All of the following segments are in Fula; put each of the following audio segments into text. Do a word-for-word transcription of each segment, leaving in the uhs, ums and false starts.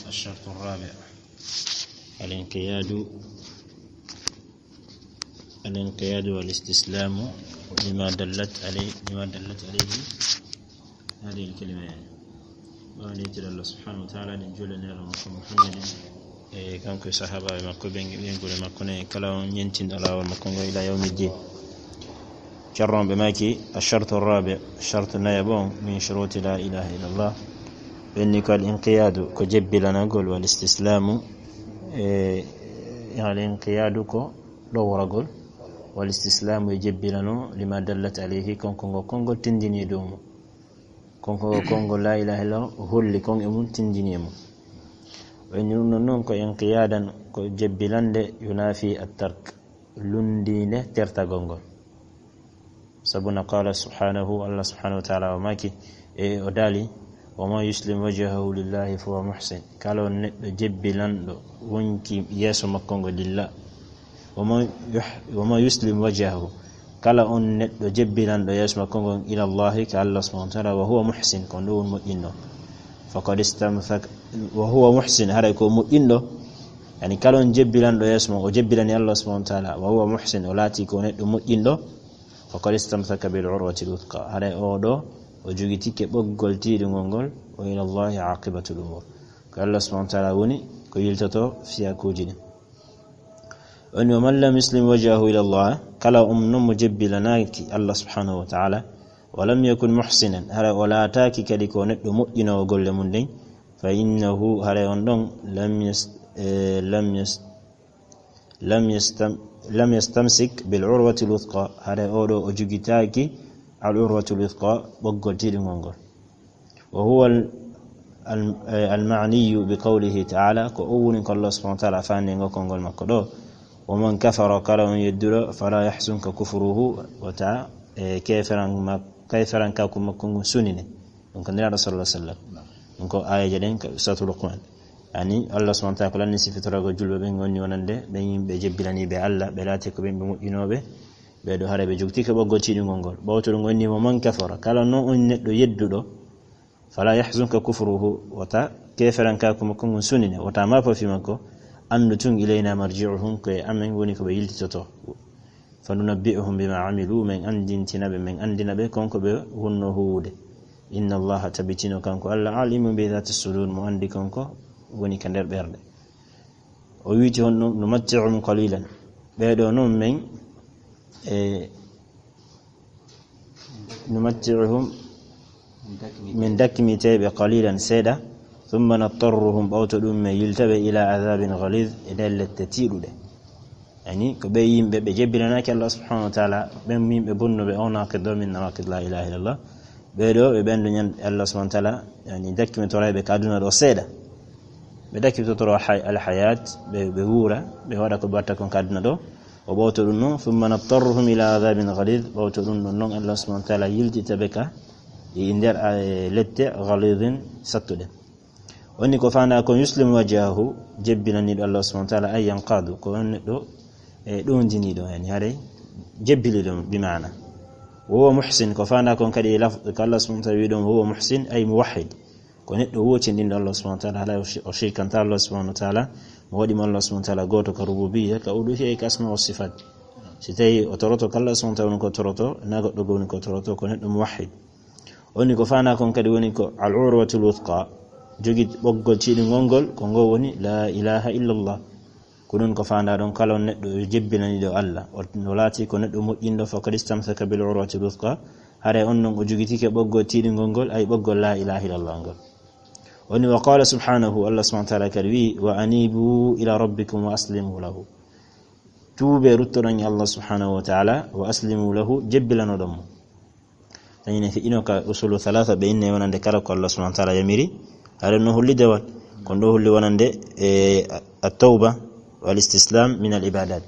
الشرط الرابع، الانقياد، الانقياد والاستسلام لما دلت عليه، لما دلت عليه هذه الكلمة، يعني. Woni tira Allah subhanahu wa ta'ala, ɗen juulani Nulaaɗo makko Muhammadin, e kanko e sahaabaaɓe makko ɓen, e ɓeynguure makko nden, e kala on ñentinɗo laawol makko ngol ila yawmi ddin. Ceerno on ɓe maaki, الشرط الرابع, shartu nayaɓo on, من شروط لا إله إلا الله, ɓen ni ko الانقياد, ko jebbilanagol, والاستسلام, e الانقياد ko ɗoworagol, والاستسلام e jebbilano, لما دلت عليه, konko ngo konngol tindini e dow mum. Konko, konngol laa ilaaha illa Allah holli kon e mum, tindini e mum. O inni ɗum ɗon non ko inqiyaadan, ko jebbilande, yunaafi at-tark, lunndiinde tertagol ngol. Sabu na qaala subhaanahu, Allah subhaanahu wa ta'ala o maaki, e o daali, "Wa man yuslim wajhahu lillahi fa huwa muhsin." Kala on neɗɗo jebbilanɗo wonki yeeso makko ngo lillah. "Wa man yuh-, wa man yuslim wajhahu." Kala on neɗɗo jebbilanɗo yeeso makko ngon ila Allahi, ka Allah subhaanahu wa ta'ala, "wa huwa muhsin," ko ɗum woni moƴƴinɗo. "Faqad istamsaka," wa huwa muhsin, haray ko moƴƴinɗo. Yani kala on jebbilanɗo yeeso makko, o jebbilani Allah subhaanahu wa ta'ala, "wa huwa muhsin," o laati ko neɗɗo moƴƴinɗo. "Faqad istamsaka bil urwatil wuthqa." Haray o ɗo, o jogitike ɓoggol tiiɗungol ngol, "wa ila Allahi aqibatul umur." Ko Allah subhaanahu wa ta'ala woni ko yiltoto fiyakuuji ɗin. O inni, "Wa man lam yuslim wajhahu ila Allah," kala on non mo jebbilanaaki Allah subhaanahu wa ta'ala, "wa lam yakun muhsinan," haray o laataaki kadi ko neɗɗo moƴƴinoowo golle mum ɗen, "fa innahu," haray on ɗon, "lam yas-, eh, lam yas-, lam yastam-, lam yastamsik bil urwatil wuthqa," haray o ɗo o jogitaaki al urwatil wuthqa, ɓoggol tiiɗungol ngol. "Wa huwa al-, al-, eh, al-ma'niyyu bi qawlihi ta'ala," ko o woni ko Allah subhaanahu wa ta'ala faandi ngo konngol makko ɗo, "Wa man kafara," kala on yedduɗo, "fala yahzunka kufruhu," wota, eh, keferan mak-, keferankaku makko ngun sunine. Ɗum ko Nulaaɗo sallallahu alaihi wasallam. Ɗum ko aayeeje ɗen ka Suratul Luqman. Yani Allah subhaanahu wa ta'ala ko lanni sifitoragol julɓe ɓen, woni wonande ɓen yimɓe jebbilaniiɓe Allah, ɓe laati ko ɓen ɓe moƴƴinooɓe, ɓe ɗo haray ɓe jogitike ɓoggol tiiɗungol ngol. Ɓawto ɗum woni, "Wa man kafara," kala non on neɗɗo yedduɗo, "fala yahzunka kufruhu," wota keferankaaku makko ngun sunine, wota maafo fii makko, anndu tun, "ilayna marji'uhum," ko e amen woni ko ɓe yiltitoto. "Fa nunabbi'uhum bima amilu," men anndintina ɓe, men anndina ɓe kon ko ɓe wonno huuwude. "Inna Allaha," tabitino kanko Allah, "alimun bi dhati sudur," mo anndi kon ko woni ka nder ɓerɗe. O wiiti honno, "Numatti'uhum qalilan." Ɓee ɗoo non men, e, "Numatti'uhum," min dakkimitee ɓe qalilan, seeɗa, "thumma nattarruhum," ɓawto ɗum men yilta ɓe, "ila adhabin ghalidh," e nder lette tiiɗuɗe. Yani, ko ɓe yimɓe ɓe jebbilanaaki Allah subhanahu wa ta'ala, ɓen yimɓe bonnuɓe o naqid ɗo min nawaqid la ilaha illallah. Ɓee ɗoo ɓe ɓen ɗo ñan Allah subhanahu wa ta'ala, yani, dakkimitoro ɓe ka aduna ɗo seeɗa. Ɓe dakkitotoro hay-, al hayat, ɓe, ɓe wuura, ɓe waɗa ko ɓe watta kon ka aduna ɗo. O ɓawto ɗum non, "thumma nattarruhum ila adhabin ghalidh," ɓawto ɗum ɗon non Allah subhanahu wa ta'ala yiltita ɓe ka e nder, eh, lette ghalidhin sattuɗe. Onni ko faandaa kon yuslimu wajhahu, jebbilaniiɗo Allah subhanahu wa ta'ala, ay yanqadu, ko on neɗɗo, e, ɗowndiniiɗo, yani haray jebbiliiɗo bi maana. Wa huwa muhsin, ko faandaa kon kadi e laf-, ko Allah subhanahu wa ta'ala wi'i ɗon, wa huwa muhsin, ay muwahhid. Ko neɗɗo wootinɗinɗo Allah subhanahu wa ta'ala, haray o shi-, o shirkanta Allah subhanahu wa ta'ala, mo waɗi mo Allah subhanahu wa ta'ala gooto ka rububiyya, ka uluhiyya, ka asma wa sifat. Si tawi o toroto ka Allah subhanahu wa ta'ala woni ko toroto, na goɗɗo goo woni ko toroto, ko neɗɗo muwahhid. Woni ko faandaa kon kadi woni ko al urwatul wuthqa, jogi ɓoggol tiiɗungol ngol, ko ngol woni la ilaha illallah. Ko ɗum ko faandaa ɗon, kala on neɗɗo o jebbilaniiɗo Allah, o, o laati ko neɗɗo moƴƴinɗo, faqad istamsaka bil urwatil wuthqa, haray on non o jogitike ɓoggol tiiɗungol ngol, ay ɓoggol la ilaha illallah ngol. Woni wa qala subhanahu, Allah subhanahu wa ta'ala kadi wi'i, "Wa anibu ila rabbikum wa aslimu lahu." Tuubee, ruttoɗon e Allah subhanahu wa ta'ala, wa aslimu lahu, jebbilanoɗon mo. Tawi ne feƴƴino ka usulu thalatha, ɓe inni wonande kala ko Allah subhanahu wa ta'ala yamiri, haray no holli dewal. Kon ɗoo holli wonande, e, at-tawba wal istislam min al ibadat.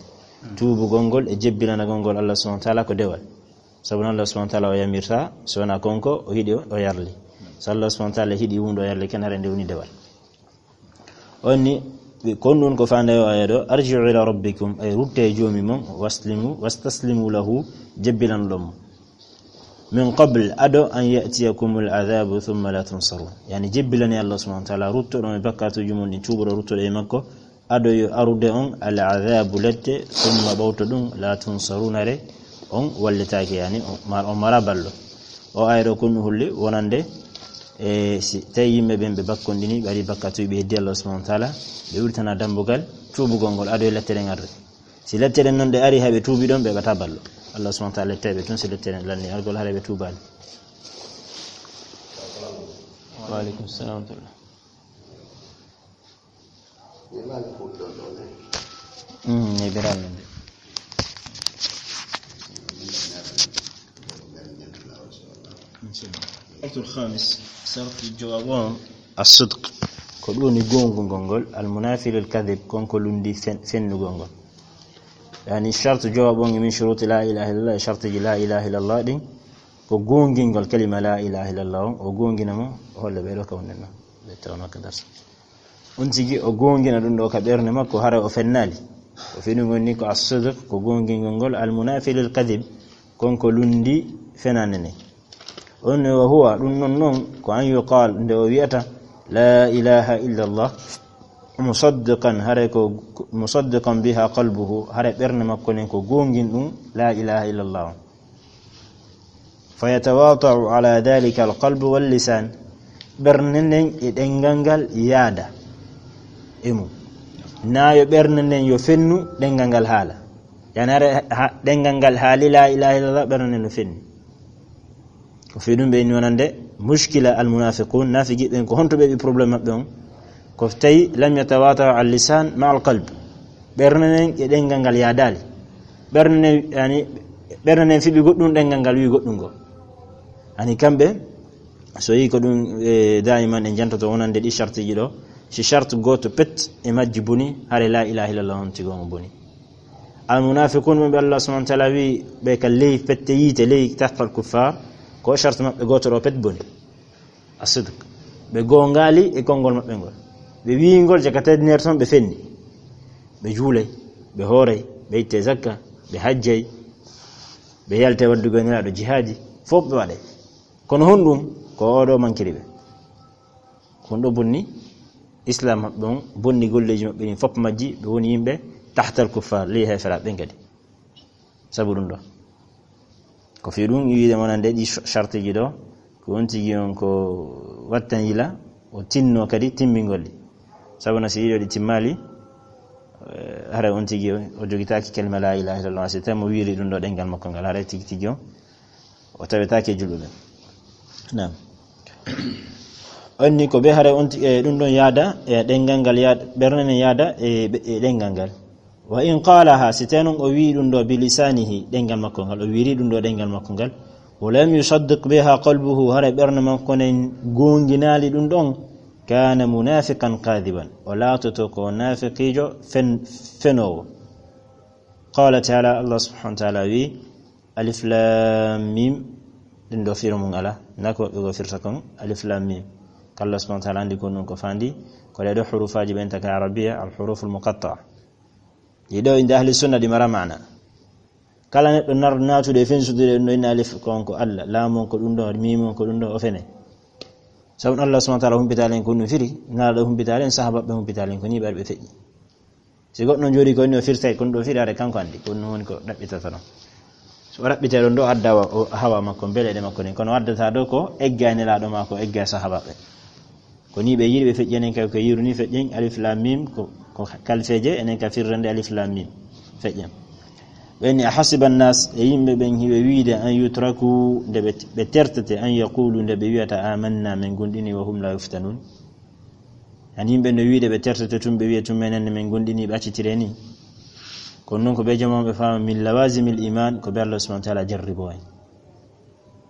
Tuubugol ngol e jebbilanagol ngol Allah subhanahu wa ta'ala ko dewal. Sabu non Allah subhanahu wa ta'ala o yamirta, so wonaa kon ko o yiɗi o, o yarli. So Allah subhanahu wa ta'ala yiɗi huunde o yarli ken, haray nde woni dewal. Onni, ɓe, kon ɗum ko faandaa o aya ɗo, "Arji'u ila rabbikum," ay ruttee e joomi mon, "waslimu, wastaslimu lahu," jebbilanoɗon mo. من قبل أدو أن يأتيكم العذاب ثم لا تنصرون. Yani, jebbilane Allah subhanahu wa ta'ala, ruttoɗon e bakkatuuji mon ɗin, tuuboɗon, ruttoɗon e makko, ado yo arude on al adhabu lette, thumma, ɓawto ɗum, la tunsaruna, re on wallitaake, yani, on mar-, on mara ballo. O aya ɗo kon holli wonande, e si tawi yimɓe ɓen ɓe bakkonɗini, ɓe ari bakkatuuji, ɓe heddi Allah subhanahu wa ta'ala, ɓe wirtana dambugal tuubugol ngol, ado e lette ɗen arde. Si lette ɗen non ɗe ari, hay ɓe tuubi ɗon, ɓe ɓata ballo. Allah subhanahu wa ta'ala lettay ɓe tun, si lette ɗen lanni argol, haray ɓe tuubaali. Wa alaikum salam wa rahmatullah. Mm, e biral men de. Shartul khamis, sharti jowaɓo on, as-sidq, ko ɗum woni goongugol ngol, al-munafi lil kadhib, kon ko lundi fen-, fennugol ngol. Yani, shartu jowaɓo on, min shuruti la ilaha illallah, shartiji la ilaha illallah ɗin, ko goongingol kalima la ilaha illallah on, o goongina mo, o holla ɓe ɗo ka wonɗen ɗo. Ɓe tawno ka darsa. On tigi o goongina ɗum ɗo ka ɓernde makko, hara o fennaali. Ko fii ɗum woni ko as-sidq, ko goongingol ngol, al-munafi lil kadhib, kon ko lundi fenande ne. On ne, wa huwa, ɗum non non, ko an yuqal, nde o wi'ata, la ilaha illallah, musaddiqan, hare ko, musaddiqan biha qalbuhu, hare ɓernde makko nden ko goongin ɗum, la ilaha illallah on. Fa yatawata'u ala dhalika alqalbu wal lisan. Ɓernde nden e ɗengal ngal yaada e mum. Na yo ɓernde nden yo fennu ɗengal ngal haala. Yani hare ha, ɗengal ngal haali la ilaha illallah, ɓernde nden no fenni. Ko fii ɗum ɓe inni wonande mushkila almunafiqun, nafiqi ɓen ko honto ɓe ɓe problème maɓɓe on? Ko tawi lam yatawata'u al lisan ma al qalb. Ɓernde nden e ɗengal ngal yaadaali. Ɓernde nden, yani, ɓernde nden fiɓi goɗɗum, ɗengal ngal wi goɗɗum ngo. Ani kamɓe, so yi ko ɗum, e, daiman en jantoto wonande ɗi shartiji ɗo. Si shartu gooto pet e majji boni, hare la ilaha illallah on tigo mo boni. Al munafiqun ɓe Allah subhanahu wa ta'ala wi ɓe ka ley pette yiite, ley tahtal kuffar, ko shartu maɓɓe gooto ɗo pet boni. As-sidq. Ɓe goongaali e konngol maɓɓe ngol. Ɓe wi'i ngol jaka tedneer ton, ɓe fenni. Ɓe juulay, ɓe hooray, ɓe ittay zakka, ɓe hajjay, ɓe yaltay waddugol Nelaaɗo jihaaji, fof ɓe waɗay. Kono honɗum? Ko oɗo mankiri ɓe. Ko honɗo bonni Islam maɓɓe on, bonni golleeji maɓɓe ɗin fof majji, ɓe woni yimɓe tahtal kuffar, ley heeferaaɓe ɓen kadi. Sabu ɗum ɗo. Ko fii ɗum wiide wonande ɗi shartiji ɗo, ko on tigi on ko wattan yila, o tinno kadi timmingol ɗi. Sabu na si yiɗo ɗi timmaali, eh, haray on tigi o, o jogitaaki kalima la ilaha illallah, si tawi mo wiiri ɗum ɗo ɗengal makko ngal, haray tigi tigi o, o tawetaake e julɓe ɓen. Naam. On ni ko ɓe haray on ti-, e ɗum ɗon yaada, e ɗengal ngal yaada, ɓernde nden yaada e, e ɗengal ngal. Wa in qalaha, si tawi non o wi'i ɗum ɗo bi lisanihi, ɗengal makko ngal, o wiiri ɗum ɗo ɗengal makko ngal, wa lam yusaddiq biha qalbuhu, hara ɓernde makko nden goonginaali ɗum ɗon, kana munafiqan kadiban, o laatoto ko nafiqiijo fen-, fenoowo. Qala ta'ala, Allah subhanahu wa ta'ala wi, alif lam mim, ɗum ɗo firo mum ala, na ko ɓe go firta kon, alif lam mim. Ko Allah subhanahu wa ta'ala andi ko non ko fandi, ko ɗe ɗo hurufaaji ɓen taka arabiya, al huruful muqatta'a. Ɗi ɗo inde ahli sunna ɗi mara maana. Kala neɗɗo nar-, naatude e fensude ɗum ɗo, inna alif ko on ko Allah, laam on ko ɗum ɗo, mim on ko ɗum ɗo, o fene. Sabu Allah subhanahu wa ta'ala humpitaali en ko ɗum firi, Nelaaɗo humpitaali en, sahaabaaɓe humpitaali en, ko ni ɓe ari ɓe feƴƴi. Si goɗɗo jooɗi ko ni o firtay, ko ɗum ɗo firi, haray kanko andi, ko ɗum woni ko ɗaɓɓitata ɗon. So o ɗaɓɓitay ɗon ɗo, adda wa-, o hawa makko, mbeleɗe makko ɗen. Kono o addata ɗo ko egga e Nelaaɗo maa, ko egga e sahaabaaɓe. Ko ni ɓe yiɗi ɓe feƴƴi, enen kay ko yiru ni feƴƴen, alif lam mim, ko, ko kalfeeje, enen ka firrande alif lam mim feƴƴen. Ɓe ni, ahasiba nnas, e yimɓe ɓen hiɓe wiide, an yutraku, nde ɓe, ɓe tertete, an yaqulu, nde ɓe wi'ata, amanna, min gomɗini, wa hum la yuftanun. Hani yimɓe no wiide ɓe tertete tun, ɓe wi'a tun menen ne min gomɗini, ɓe accitire ni. Kono non ko ɓe jama'a ɓe faama min lawazimil iman, ko ɓe Allah subhanahu wa ta'ala jarribo en.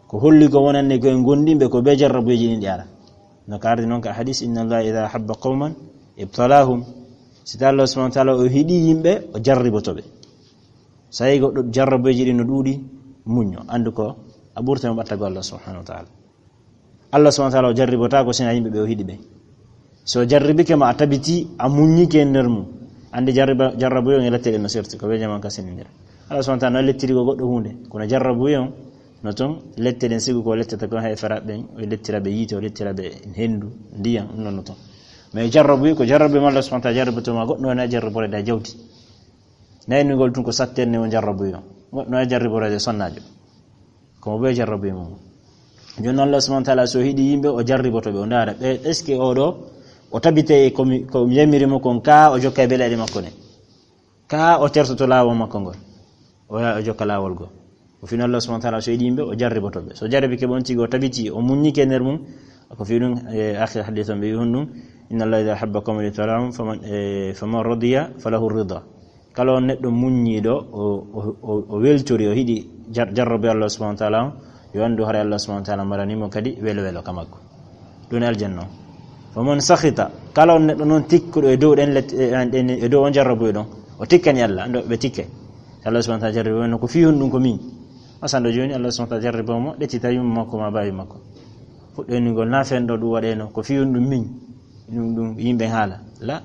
Ko holli ko wonande ko en gomɗinɓe ko be jarrabuyeeji ɗin ɗi ara. No ka ardi non ka hadis, inna Allah idha ahabba qawman ibtalahum. Si tawi Allah subhanahu wa ta'ala o hiɗi yimɓe, o jarriboto ɓe. So tawi goɗɗo jarrabuyeeji ɗin no ɗuuɗi, muñño. Andu ko a ɓurta mo ɓattago Allah subhanahu wa ta'ala. Allah subhanahu wa ta'ala o jarribotaako sina yimɓe ɓe o hiɗi ɓe. So o jarribike ma a tabiti, a muññike e nder mum. Andi jarriba-, jarrabuye on e lette ɗen no serti, ko be jaman ka sini nder. Allah subhanahu wa ta'ala no lettiri ko goɗɗo hunde, kono jarrabuye on, No toon, lette ɗen sigu ko lettata ko hay fera ɓen, o lettira ɓe yiite, o lettira ɓe henndu, ndiyan, ɗum noon no toon. Mais jarrabu, ko jarrabu mo Allah subhanahu wa ta'ala jarrabotoo ma, goɗɗo wona jarrabore da jawdi. Naynugol tun ko sattenne o jarrabu yo. Goɗɗo wona jarrabore de sonnaajo. Ko mo ɓe jarrabu mum. Jooni Allah subhanahu wa ta'ala so hiɗi yimɓe, o jarriboto ɓe, o ndaara ɓe, est-ce que oɗo, o tabite ko mi, ko mi yamiri mo kon ka, o jokka e beleɗe makko ne? Ka o tertoto laawol makko ngol, o yaha o jokka laawol goo. O fino Allah subhanahu wa ta'ala so yiɗi yimɓe, o jarriboto ɓe. So jarribike ɓe on tigi, o tabiti, o muññike nder mum, ko fi ɗum, e, akhir hadith on ɓe wi honɗum, "Inna Allah idha ahabba qawman ibtalahum, faman, e, faman radiya falahu rida." Kala on neɗɗo muññiiɗo, o, o, o, o weltori, o hiɗi jar-, jarrabe Allah subhanahu wa ta'ala on, yo anndu haray Allah subhanahu wa ta'ala marani mo kadi welo welo ka makko. Ɗum aljanna on. Faman sakhita, kala on neɗɗo noon tikkuɗo e dow ɗen let-, e, an-, ɗen, e dow on jarrabuɓe ɗon, o tikkani Allah, ando ɓe tikke. Allah subhanahu wa ta'ala jarrabi on, ko fi honɗum ko min. Masando jooni Allah subhanahu wa ta'ala jarrabi mo, ɗettita yumma makko ma baawi makko. Fuɗɗo innugol na fen ɗo ɗum waɗeno, ko fi honɗum min. Ɗum, ɗum yimɓe haala. La.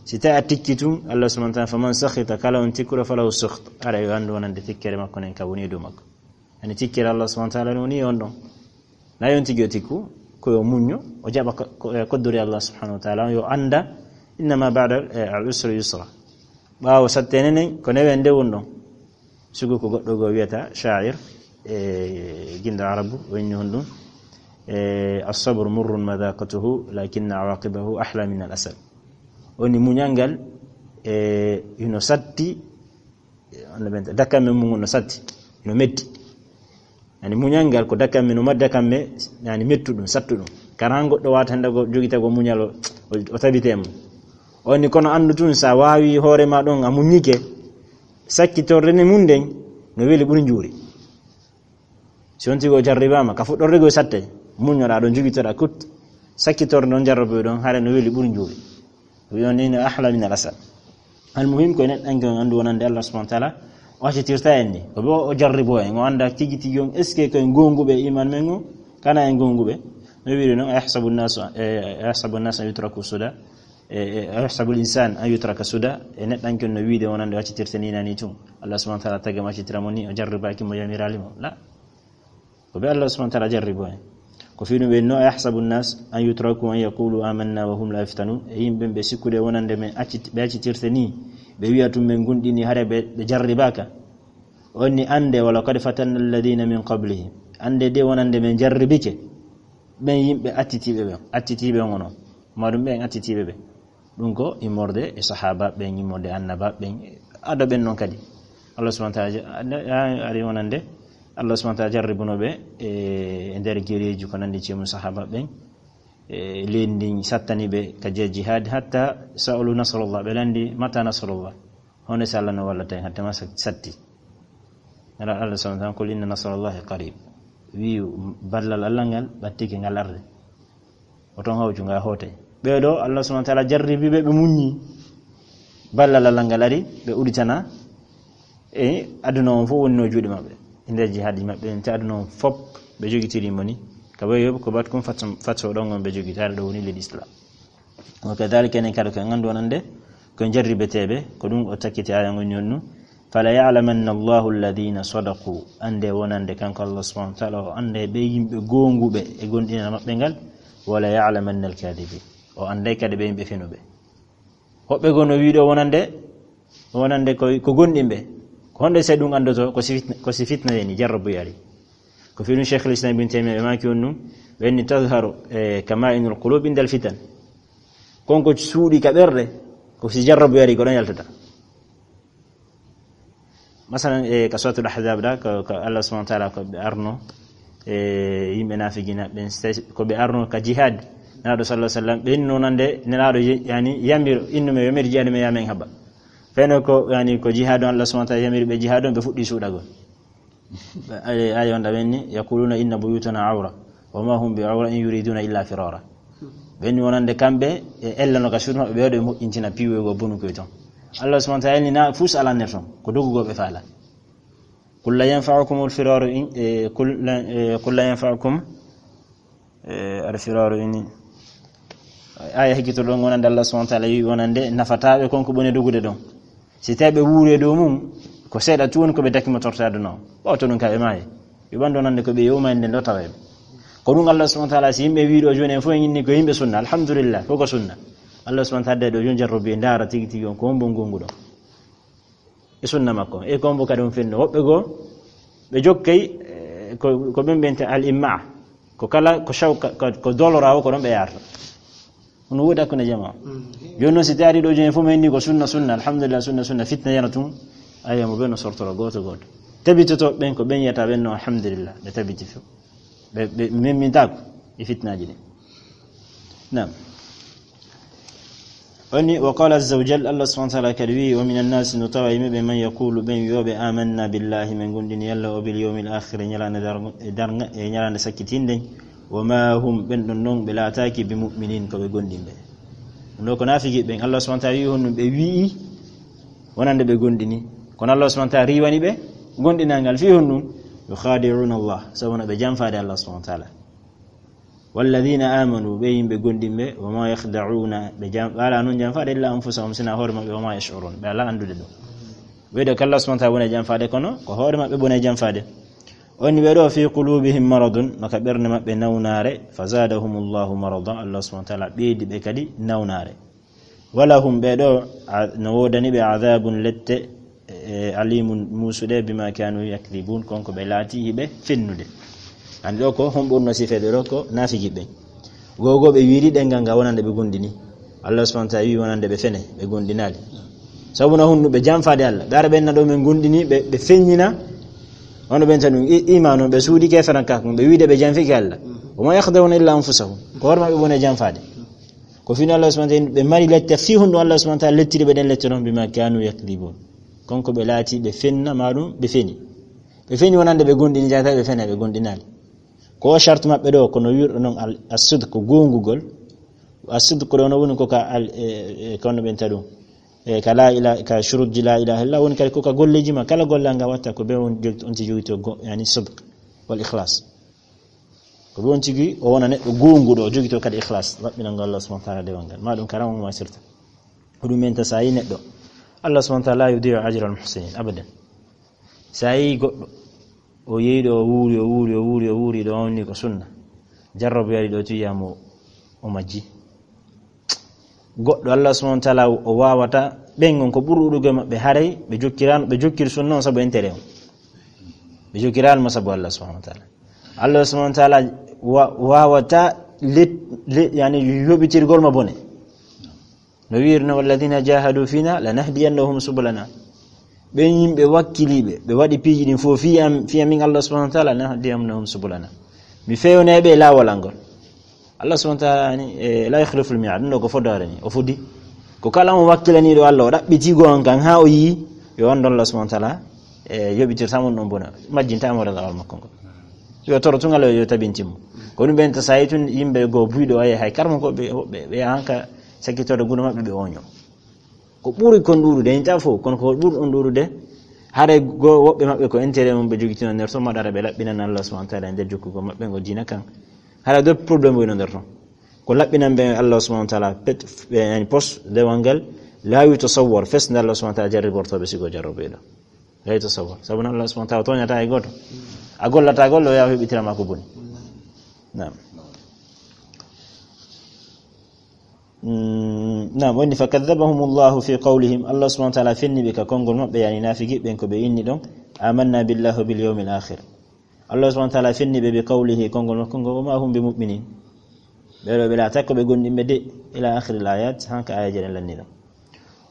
Si tawi a tikki tun, Allah subhanahu wa ta'ala, faman sakhita, kala on tikkuɗo, falahu sukht. Ara yo anndu wonande tikkere makko nen ka woni e dow makko. Ani tikkere Allah subhanahu wa ta'ala woni on ɗon. Na yon tigi o tikku, ko yo muñño, o jaɓa ko, ko, e koddori Allah subhanahu wa ta'ala, yo annda, innama ba'da, e, al usri yusra. Ɓaawo sattene nen, ko newende won ɗon. Sugu ko goɗɗo goo wiyata, sha'ir, e, ginɗo Arabu, o inni honɗum, e, "As-sabru murrun madhaqatuhu, lakinna awaqibahu ahla min al-asal." Woni muñal ngal, e, hino satti, e, on no ɓen, dakamme mum no satti, hino metti. Yani muñal ngal ko dakamme, no ma dakamme, yani mettuɗum, sattuɗum. Kara han goɗɗo wata hannde go jogita go muñal o, o, o tabite mum. O ni kono anndu tun sa waawi hoore ma ɗon a muññike, sakkitorde ne mum nden no weli ɓuri njuuri. Si on tigi o jarribaama, ka fuɗɗorde go satte, muññoɗa ɗon jogitoɗa kut, sakkitorde ɗon jarraboy ɗon, hare no weli ɓuri njuuri. Wi on ni no ahla min al asal. Al muhim ko neɗɗanke on anndu wonande Allah subhanahu wa ta'ala, o accitirta en ni. Ko bo o jarribo en, o annda tigi tigi on, est-ce que ko en gonguɓe iman men o? Kana en gonguɓe. No wiiri noon, "Ayahsabu nnasu, e, ayahsabu nnasu an yutraku suda?" E, e, "Ayahsabu l-insan an yutraka suda?" E neɗɗanke on no wiide wonande o accitirta ni nani tun. Allah subhanahu wa ta'ala tagi mo accitira mo ni, o jarribaaki mo, yamiraali mo. La. Ko ɓe Allah subhanahu wa ta'ala jarribo en. Ko fii ɗum ɓe no, "Ayahsabu nnas an yutraku an yaqulu amanna wa hum la yuftanun?" E yimɓe ɓe sikkude wonande men accit-, ɓe accitirte ni, ɓe wi'a tun men gunɗini hare ɓe, ɓe jarribaaka. On ni ande, "Wa laqad fatanna alladhina min qablihim." Ande de wonande men jarribike ɓen yimɓe attitiiɓe ɓen, attitiiɓe on onon. Ma ɗum ɓen attitiiɓe ɓe. Ɗum ko immorde e sahaba ɓen, immorde annaba ɓen, ado ɓen noon kadi. Allah subhanahu wa ta'ala ja-, a-, a-, ari wonande, Allah subhanahu wa ta'ala jarribuno ɓe e, e nder gereeji ko nandi cemu sahaba ɓen, e leydi ndin sattani ɓe ka je jihad, hatta sa'alu nasrallah, ɓe landi, "Mata nasrallah?" Honde si Allah no wallata en, hatta ma sa-, satti. Nela Allah subhanahu wa ta'ala, "Qul inna nasrallahi qarib." Wi'u ballal Allah ngal ɓattike ngal arde. O ton hawju nga hoote. Ɓee ɗo, Allah subhanahu wa ta'ala jarribi ɓe, ɓe muññi. Ballal Allah ngal ari, ɓe uditana. E aduna on fof wonno juuɗe maɓɓe. E nder jihaaji maɓɓe, te aduna on fof ɓe jogitiri mo ni. Ka ɓe yoɓi ko bat kum fatso, fatso ɗon on ɓe jogitaare ɗo woni leydi Islam. Wa kadhalika enen kadi ko en anndu wonande ko en jarribeteeɓe, ko ɗum o takkiti aya ngon ñonnu. "Fala ya'lamanna Allahu alladhina sadaqu." Ande wonande kanko Allah subhanahu wa ta'ala o ande ɓe yimɓe goonguɓe e gondinal maɓɓe ngal. "Wala ya'lamanna al-kadhibin." O ande kadi ɓe yimɓe fenuɓe. Hoɓɓe goo no wiiɗo wonande, wonande ko, ko gondinɓe. Ko honde se ɗum andoto? Ko si fitna, ko si fitna yani, jarrabu yari. Ko fii ɗum Sheikhul Islam Ibn Taymiyyah ɓe maaki on ɗum, ɓe inni tazharu, e, kama'inul qulub indal fitan. Kon ko suuɗi ka ɓerɗe, ko si jarrabu yari ko ɗon yaltata. Masalan, e, ka Suratul Ahzab ɗa, ko, ko Allah subhanahu wa ta'ala ko ɓe arno, e, yimɓe naafiqina ɓen, se-, ko ɓe arno ka jihad. Nelaaɗo sallallahu alaihi wasallam, ɓe hinno nande, Nelaaɗo ye-, yani, yamiro, innume, yo mede jihad, me yamen haba. Feno ko, yani, ko jihad on Allah subhanahu wa ta'ala yamiri ɓe jihad on, ɓe fuɗɗi suuɗagol. Ay, ay, on ɗa ɓenni, "Yaquluna inna buyutana awra, wa ma hum bi awra in yuriduna illa firara." Ɓenni wonande kamɓe, e ellano ka suudu maɓɓe, ɓe waɗi moƴƴintina piiwe goo bonu koye ton. Allah subhanahu wa ta'ala ni na fus alanne ton, ko dogugol ɓe faala. "Qul la yanfa'ukum al-firaru in, e, qul la, e, qul la yanfa'ukum, e, al-firaru in." Aya hikito ɗon wonande Allah subhanahu wa ta'ala yi wonande nafataɓe kon ko ɓone dogude ɗon. Si tawi ɓe wuuri e dow mum, ko seeɗa tun woni ko ɓe dakimotorta aduna o. Ɓawto ɗum ka ɓe maayi. Yo ɓanndo nande ko ɓe yowma en nden ɗo tawa en. Ko ɗum Allah subhanahu wa ta'ala, si yimɓe wii ɗo jooni en fof en inni ko yimɓe sunna, alhamdulillah, ko ko sunna. Allah subhanahu wa ta'ala ɗo jooni jarrobi e ndaara tigi tigi on ko hombo ngongu ɗo. E sunna makko. E ko hombo kadi on fenno. Woɓɓe goo, ɓe jokkay, eh, ko, ko ɓen ɓen te al imma. Ko kala, ko shawka, ko, ko dolora o ko ɗon ɓe yarata. Hono woodi hakkunde jamaa. Mm. Jooni noon si taari ɗo jooni fof mi inni ko sunna, sunna, alhamdulillah, sunna, sunna, fitna yana tun. Aywa, mo ɓen no sortora gooto gooto. Tabitoto ɓen ko ɓen yiyata ɓen no, alhamdulillah, ɓe tabiti fof. Ɓe, ɓe memmintaako e fitnaaji ɗin. Naam. Woni, wa qala azza wa jalla, Allah subhanahu wa ta'ala kadi wi, wa minan nasi, no tawa yimɓe ɓe, man yaqulu, ɓen wi'oɓe, amanna billahi, min gomɗini Allah, o bil yawmil akhir, e ñalaande dargo-, e darga, e ñalaande sakkitinde, wa ma hum, ɓen ɗon non, ɓe laataaki bi mu'minin, ko ɓe gomɗinɓe. Ɗum ɗo ko naafiki ɓen, Allah subhanahu wa ta'ala wi honɗum ɓe wi'i, wonande ɓe gomɗini. Kono Allah subhanahu wa ta'ala riiwani ɓe gomɗinal ngal. Fii honɗum? Yukhadi'una Allah, sabu no ɓe janfaade Allah subhanahu wa ta'ala. Walladhina amanu, ɓe yimɓe gomɗinɓe, wa ma yakhda'una, ɓe jam-, ɓe alaa noon janfaade illa anfusahum, sina hoore maɓɓe, wa ma yash'urun, ɓe alaa anndude ɗum. Ɓe ɗo ko Allah subhanahu wa ta'ala woni janfaade, kono ko hoore maɓɓe woni janfaade. Onni ɓe ɗo, fi qulubihim maradun, no ka ɓernde maɓɓe nawnaare, fa zadahumullahu marada, Allah subhanahu wa ta'ala ɓeydi ɓe kadi nawnaare. Walahum, ɓe ɗo, a-, no woodani ɓe adabun lette, e, alimun muusuɗe, bima kanu yakdibun, kon ko ɓe laati hiɓe fennude. Andi ɗo ko homɓe wonno sifeede ɗo ko naafiki ɓen. Gogo ɓe wiiri ɗengal ngal wonande ɓe gomɗini. Allah subhanahu wa ta'ala wi wonande ɓe fene, ɓe gomɗinaali. Sabu no honɗum ɓe janfaade Allah. Ɓe ara ɓen na ɗo men gomɗini, ɓe, ɓe feññina. Wano ɓen tan ɗum i-, iman on, ɓe suuɗi ke feran ka, ɓe wiide ɓe janfiki Allah. Wa ma yakhda'una illa anfusahum. Ko hoore maɓɓe woni janfaade. Ko fino Allah subhanahu wa ta'ala, ɓe mari lette, fii honɗum Allah subhanahu wa ta'ala lettiri ɓe ɗen lette non, bima kanu yakdibun. Kon ko ɓe laati, ɓe fenna, ma ɗum, ɓe feni. Ɓe feni wonande ɓe gomɗini, jata ɓe fena, ɓe gomɗinaali. Ko o charte maɓɓe ɗo, kono wirɗo non al-, as-sidq, ko gongugol. As-sidq ko ɗo no woni ko ka al-, e, e, kono ɓen taɗum. E, ka la ila-, ka shurutji la ilaha illallah, woni kadi ko ka golleji ma, kala gollal ngal watta ko ɓe on jogito, on ti jogito go-, yani sidq wal ikhlas. Ko ɓe on tigi o wona neɗɗo gonguɗo, o jogito kadi ikhlas, laɓɓinango Allah subhanahu wa ta'ala dewal ngal. Ma ɗum karam on ma sirta. Ko ɗum men ta sa yi neɗɗo. Allah subhanahu wa ta'ala la yudi'u ajra al muhsinin, abadan. Sa yi goɗɗo, o yehi ɗo, o wuuri, o wuuri, o wuuri, o wuuri, ɗo wonni ko sunna. Jarrabu yari ɗo, tuyamo o majji. Goɗɗo Allah subhanahu wa ta'ala o wawata, ɓen on ko ɓuri ɗuɗugo e maɓɓe haray, ɓe jokkirano, ɓe jokkiri sunna on sabu intérêt on. Ɓe jokkirano mo sabu Allah subhanahu wa ta'ala. Allah subhanahu wa ta'ala wa-, wawata let-, let-, yani yoɓitirgol mo bone. No wiirno, "Walladhina jahadu fina lanahdiyannahum subulana." Ɓen yimɓe wakkiliiɓe, ɓe waɗi piiji ɗin fof fii am, fii amin Allah subhanahu wa ta'ala, "lanahdiyannahum subulana." Mi fewnay ɓe laawol an ngol. Allah subhanahu wa ta'ala ni, e, la yukhliful mi'ad, ɗum ɗo ko fodaare ni, o fodi. Ko kala on wakkilaniiɗo Allah, o ɗaɓɓiti go on kan, haa o yii, yo on ɗon Allah subhanahu wa ta'ala, e, yoɓitirta mo ɗon bona, majjinta mo razawal makko ngol. Yo toro tun Allah yo tabintin mo. Ko ɗum ɓen ta sa yi tun yimɓe go buyɗo ay hay karmo ko ɓe, ɓe, ɓe hanka sakkitorde gudo maɓɓe ɓe oño. Ko ɓuri kon ɗuuɗude, en ta fof, kono ko ɓuri on ɗuuɗude, haray go woɓɓe maɓɓe ko intérêt mum ɓe jogitino nder ton, maɗara ɓe laɓɓinana Allah subhanahu wa ta'ala e nder jokkugol maɓɓe ngo diina kan. Haray do problème woni nder ton. Ko laɓɓinan ɓe Allah subhanahu wa ta'ala pet, ɓe yani pos dewal ngal, laawi to sawwor, fes nde Allah subhanahu wa ta'ala jarrigorto ɓe sigo jarrobeɗo. Laawi to sawwor. Sabu non Allah subhanahu wa ta'ala toñata e goto. A gollata golle, o yawa heɓitira ma ko boni. Naam. Mm, naam, woni, "Fakadhabahumullahu fi qawlihim." Allah subhanahu wa ta'ala fenni ɓe ka konngol maɓɓe, yani naafiki ɓen ko ɓe inni ɗon, "Amanna billahi wa bil yawmil akhir." Allah subhanahu wa ta'ala fenni ɓe bi qawlihi, konngol makko ngol, "Wa ma hum bi mu'minin." Ɓe ɗo ɓe laata ko ɓe gomɗinɓe de, ila akhiril ayat, hanka ayaji ɗen lanni ɗon.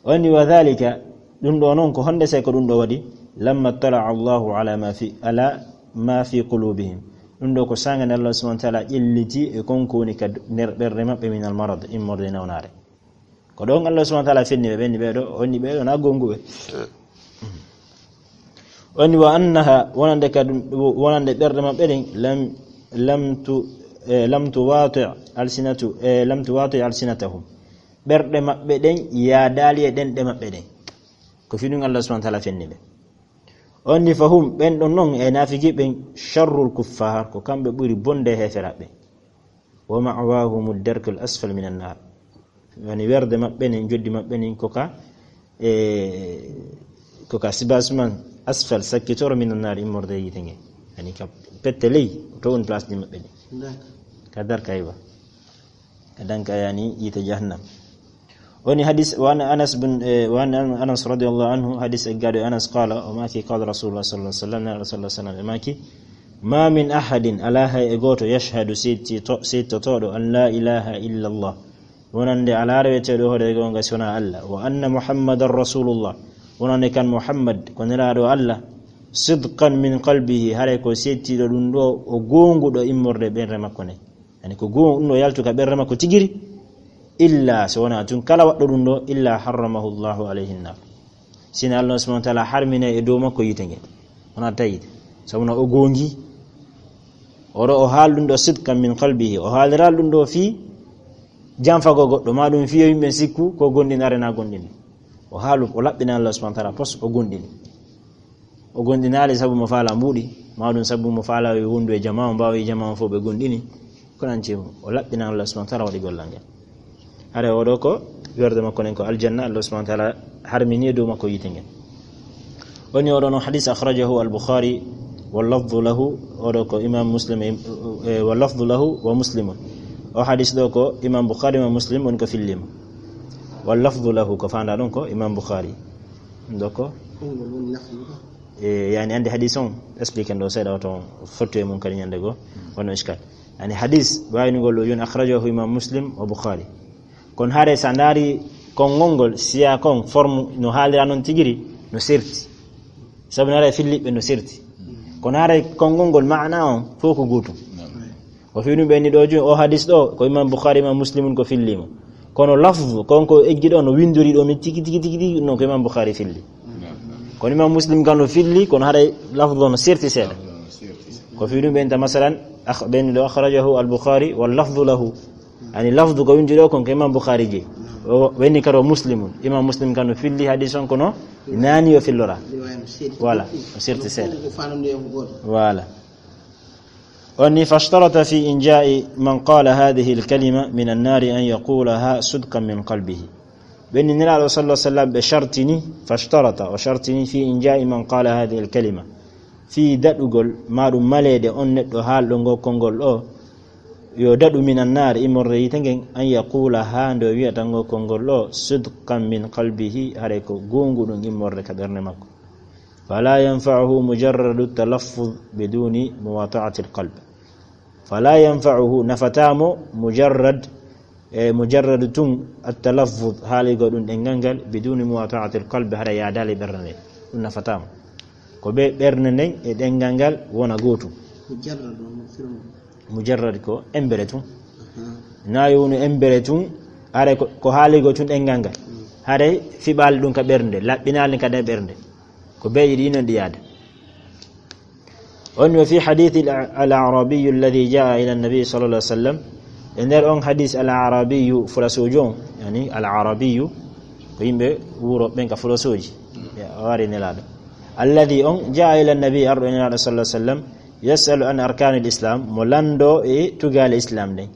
Woni, "Wa dhalika," ɗum ɗo non ko honde sey ko ɗum ɗo waɗi, "Lamma tala Allahu ala ma fi, ala ma fi qulubihim." Ɗum ɗo ko saanga nde Allah subhanahu wa ta'ala ƴelliti e kon ko woni ka nder ɓerɗe maɓɓe min al marad, immorde e nawnaare. Ko ɗon Allah subhanahu wa ta'ala fenni ɓe, ɓenni ɓe ɗo, onni ɓe ɗo na gonguɓe. Onni, "Wa annaha," wonande ka ɗum, wonande ɓerɗe maɓɓe ɗen, lam, lam tu, e, lam tuwati alsinatu, e, lam tuwati alsinatahum. Ɓerɗe maɓɓe ɗen yaadaali e ɗenɗe maɓɓe ɗen. Ko fi ɗum Allah subhanahu wa ta'ala fenni ɓe. Onni, "Fahum," ɓen ɗon non e naafiki ɓen, "sharrul kuffar," ko kamɓe ɓuri bonde heeferaɓe. "Wa ma'wahumu darkul asfal minan nar." Woni werde maɓɓe nin, joddi maɓɓe nin, ko ka, e, ko ka sibasman asfal, sakkitoro, minan nar, immorde e yiite nge. Yani ka pette ley, to woni place ɗi maɓɓe ɗi. Ka darka, aywa. Ka danka, yani, yiite jahannam. Woni hadis, wa an Anas bin, eh, wa an Anas radiyallahu anhu, hadis e gaɗo Anas qala, o maaki, qala Rasulullah sallallahu alaihi wasallam, Rasulullah sallallahu alaihi wasallam, e maaki, "Ma min ahadin, ala hay e gooto, yashhadu, sitto-, sittotoɗo, an la ilaha illa Allah." Wonande ala reweteɗo hoore gonga sona Allah. Wa anna Muhammadan Rasulullah. Wonande kan Muhammad, ko nelaɗo Allah. Sidqan min qalbihi, haray ko settiɗo ɗum ɗo, o gonguɗo immorde ɓernde makko ne. Yani ko gongu ɗum ɗo yaltu ka ɓernde makko tigiri, illa so wona tun kala waɗɗo ɗum ɗo, illa harramahu Allahu alayhi nnar. Sina Allah subhanahu wa ta'ala harmine e dow makko yiite nge. Wona tayide. Sabu no o gongi, oɗo o haal ɗum ɗo sidqan min qalbihi. O haaliral ɗum ɗo fii janfago goɗɗo, ma ɗum fii yo yimɓe sikku ko gonɗinare na gonɗini. O haalu, o laɓɓina Allah subhanahu wa ta'ala pos, o gonɗini. O gonɗinaali sabu mo faala mbuuɗi, ma ɗum sabu mo faala yo wondu e jamaa, o mbaawa e jamaa fof ɓe gonɗini. Ko nanti o laɓɓina Allah subhanahu wa ta'ala waɗi gollal ngal. Hare oɗo ko werde makko nen ko aljanna, Allah subhanahu wa ta'ala harmini e dow makko yiite ngen. Woni oɗo no hadis akhrajahu al-Bukhari, wa lafdhu lahu, oɗo ko Imam Muslim, e, e, wa lafdhu lahu wa Muslimun. O hadis ɗo ko Imam Bukhari, Imam Muslim woni ko fillima. Wa lafdhu lahu, ko fanda ɗum ko Imam Bukhari. Ɗo ko? Konngol woni lafdhu ɗo. E, yani ande hadis on, explique ɗo seeɗa, wato fottu e mum kadi ñande go, wonno iskal. Yani hadis, wayni ngol ɗo yoni akhrajahu Imam Muslim wa Bukhari. Kono hare sa ndaari konngol ngol, siya kon, forme no haalira noon tigiri, no serti. Sabu no hare filliɓe no serti. Kono hare konngol ngol maana on, fof ko gootum. Ko fii ɗum ɓe ni ɗo joni, o hadis ɗo, ko Imam Bukhari, Imam Muslimun ko fillimo. Kono lafzu, kon ko eggi ɗo, no windori ɗo, min tigi, tigi, tigi, tigi, non ko Imam Bukhari filli. Kono Imam Muslim kan no filli, kono haray lafzu no serti seeɗa. Ko fii ɗum ɓe inta, masalan, akh-, ɓe ni ɗo, akhrajahu al-Bukhari, wal lafzu lahu. Yani lafzu ko windi ɗo, kon ko Imam Bukhari je. O, ɓe ni karo Muslimun. Imam Muslim kan no filli hadis on kono, nani o fillora. Voilà, o serti seeɗa. Voilà. O ni, fashtarata fi inja'i man qala hadhihi al-kalima min an-nari an yaqulaha sidqan min qalbihi. Ɓe ni Nelaaɗo sallallahu alaihi wasallam ɓe shartini, fashtarata, o shartini fi inja'i man qala hadhihi al-kalima. Fi daɗugol, ma ɗum maleede on neɗɗo haalɗo ngo konngol ɗo, yo daɗu min an-nar, immorde yiite ngen, an yaqulaha, nde o wiyata ngo konngol ɗo, sidqan min qalbihi, haray ko gongu ɗum immorde ka ɓernde makko. Fala yanfa'uhu mujarradu talaffuz biduni muwata'ati alqalb. Fala yanfa'uhu, nafatamo mujarrad, e mujarradu tun, at-talaffuz, haaligo ɗum ɗengal ngal, biduni muwata'ati alqalb, hara yaadali ɓernde nden. Ɗum nafatamo. Ko ɓe ɓernde nden e ɗengal ngal wona gootum. Mujarrad on, no firmo? Mujarrad ko embere tun. Aha. Na yo wonu embere tun, hare ko, ko haaligo tun ɗengal ngal. Mm. Hare fiɓaali ɗum ka ɓernde, laɓɓinaali ka ɗen ɓernde. Ko beeji ɗi non ɗi yaada. On wa fi hadithi al-, al-Arabiyu alladhi jaa ila an-nabi sallallahu alaihi wasallam. E nder on hadis al-Arabiyu, fulasojo on, yani al-Arabiyu, ko yimɓe wuro ɓen ka fulasooji. Ya, o wari Nelaaɗo. Alladhi on jaa ila an-nabi, arɗo Nelaaɗo sallallahu alaihi wasallam, yas'alu an arkanil islam, mo lando e tugaale islam ɗen.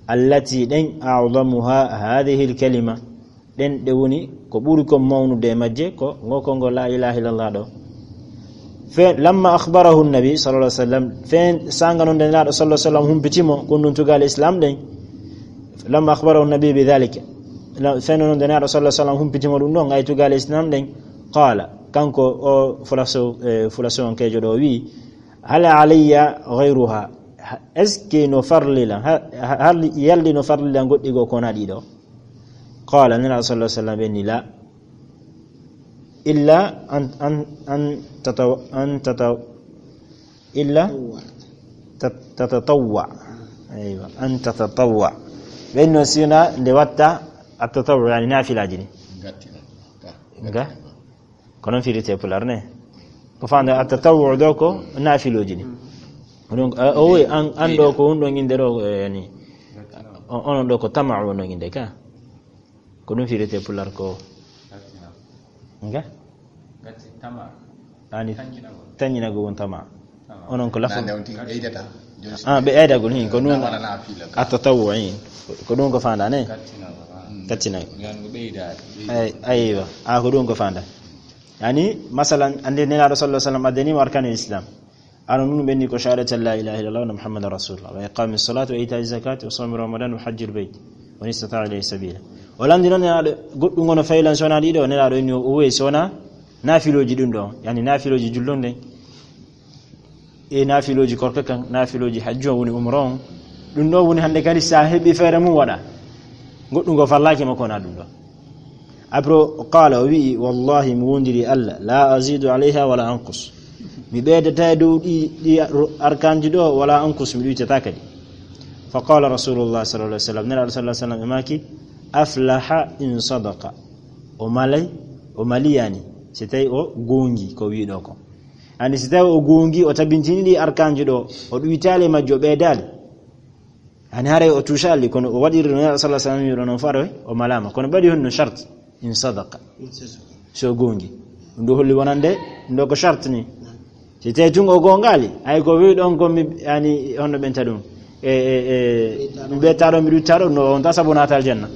Allati ɗen a'zamuha hadhihi al-kalima. Ɗen ɗe woni ko ɓuri kon mawnude e majje ko ngo konngol la ilaha illallah ɗo. Fe, lamma akhbarahu nabi sallallahu alaihi wasallam, fe sanga non nde Nelaaɗo sallallahu alaihi wasallam humpitimo kon ɗum tugaale islam ɗen. Lamma akhbarahu nabi bi dhalika. La, fe non nde Nelaaɗo sallallahu alaihi wasallam humpitimo ɗum ɗon ay tugaale islam ɗen. Qala, kanko o fulaso, eh, fulaso on kejo ɗo wi, hal alayya ghayruha? Ha, est-ce que no farlila? Ha, ha, hal yaldi no farlila goɗɗi go kona ɗiɗo? Qala, Nelaaɗo sallallahu alaihi wasallam ɓe ni, la. Illa an, an, an tataw-, an tataw-, illa tat-, tatatawwa. Aywa, an tatatawwa. Ɓen no sina nde watta at-tatawwu, yani nafilaji ni. Nga? Ko non firite pular ne. Ko fanda at-tatawwu ɗo ko nafiloji ni. Donc, a, o wi an, an ɗo ko hunɗo inde ɗo, eh, yani. O, onon ɗo ko tama'u ɗo inde ka. Ko ɗum firete pular ko. Nga? Gati tama. Ani. Tanjinago. Tanjinago won tama. Tama. Onon ko lafu. Nande on tigi ɓeydata. Ah, ɓe ɓeydagol hin, ko ɗum. Tama na fila ka. At-tatawwu hin. Ko ɗum ko fanda ne? Gattinago, ah. Gattinago. Yan ko ɓeydaade. Ay, aywa. Ah, ko ɗum ko fanda. Yani, masalan, ande Nelaaɗo sallallahu alaihi wasallam addani mo arkanul islam. Ara nun ɓenni ko shahadati an la ilaha illallah wa anna Muhammadan rasulullah, wa iqami salati wa ita'i zakati wa sawmi ramadan wa hajjil bayt wa man istata'a ilayhi sabila. O landi noon nelaaɗo goɗɗum ngono faylan sona ɗiɗo, nelaaɗo inni o weesi sona naafilooji ɗum ɗo, yani naafilooji jullo nden, e naafilooji korka kan, naafilooji hajju on woni umra on. Ɗum ɗo woni hannde kadi sa heɓi feere mum waɗa. Goɗɗum ngo fallaaki makko wona ɗum ɗo. Après, qala, o wi'i, wallahi, mi wondiri Allah, la azidu alayha wala anqus. Mi ɓeydata e dow ɗi, ɗi ro-, arkanji ɗo, wala anqus, mi ɗuytata kadi. Fa qala Rasulullah sallallahu alaihi wasallam, Nelaɗo sallallahu alaihi wasallam e maki, aflaha in sadaqa. O malay, o maliyani, si tawi o gongi ko wiɗo ko. Ani si tawi o gongi, o tabintini ɗi arkanji ɗo, o ɗuytali majjo, o ɓeydali. Ani haray o tuusali, kono o waɗiri no Nelaɗo sallallahu alaihi wasallam wiɗo non faro, o malama. Kono ɓaɗi honno shart, in sadaqa. So gongi. Ɗum ɗo holli wonande, ɗum ɗo ko shart ni. Si tawi tun o gongali, ay ko wi ɗon ko mi, yani, honno ɓenta ɗum. E, e, e, mi ɓetta ɗo, mi ɗutta ɗo, no on ta sabu natal janna.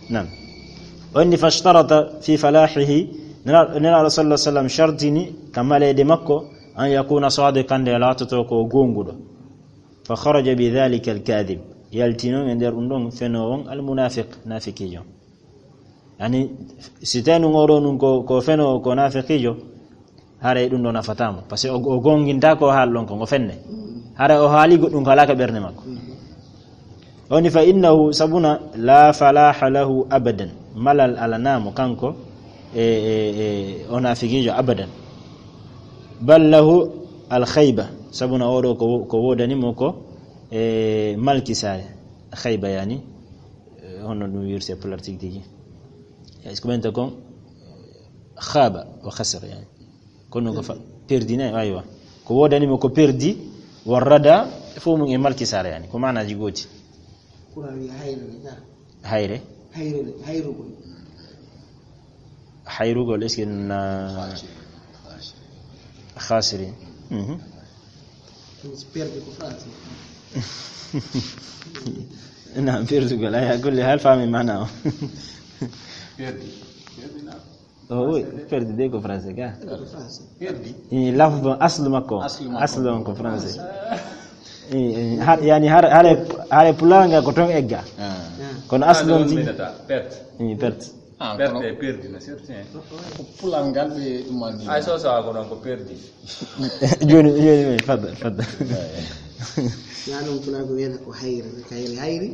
Nan. O inni fashtarata fi falahihi, Nela-, Nelaɗo sallallahu alaihi wasallam shartini ka malede makko, an yakuna sadiqan, nde laatoto ko gonguɗo. Fa kharaja bi dhalika al-kadhib. Yalti non e nder ɗum ɗon fenoowo on al-munafiq, nafikijo. Yani, si tawi nun oɗo nun ko, ko fenoowo, ko nafikijo, haray ɗum ɗo nafatamo. Parce que o, o gonginta ko haal ɗon ko, ngo fenne. Haray o haali goɗɗum ko alaka ɓernde makko. Oni fa innahu sabuna la falaha lahu abadan. Malal alanamo kanko e, e, e, o nafikijo abadan. Bal lahu al khayba. Sabuna oɗo ko, ko wodani mo ko, e, malkisare. Khayba yani, e, honno ɗum wirte e pular tigi tigi. Est-ce que ɓenta kon khaba wa khasir yani. Kono ko fa-, perdi ne, aywa. Ko wodani mo ko perdi, wa rada, fof mum e malkisare yani. Ko maanaji gooti. Kura wi hayre ne, ka. Hayre? Hayre ne, hayrugol. Hayrugol, est-ce que na khasiri. Mhm. Perdi ko français. Na perdugol, ay, kulli hal fami mana o. Perdi. Perdi na. O, oui, perdi de ko français ka. Ko français. Perdi. E lafdu aslu makko. Aslu makko. Aslu on ko français. E, e, har, yani har, hare, hare pulanga ko ton egga. Ah. Kono aslu on ti. Perte. E, perte. Ah, perte kono e perdi na certain. Ko pulangal ɓe ɗum andi. Ay so sawa ko non ko perdi. Joni, joni, joni, fadda, fadda. Ya non pulago wena ko hayri, kayri hayri.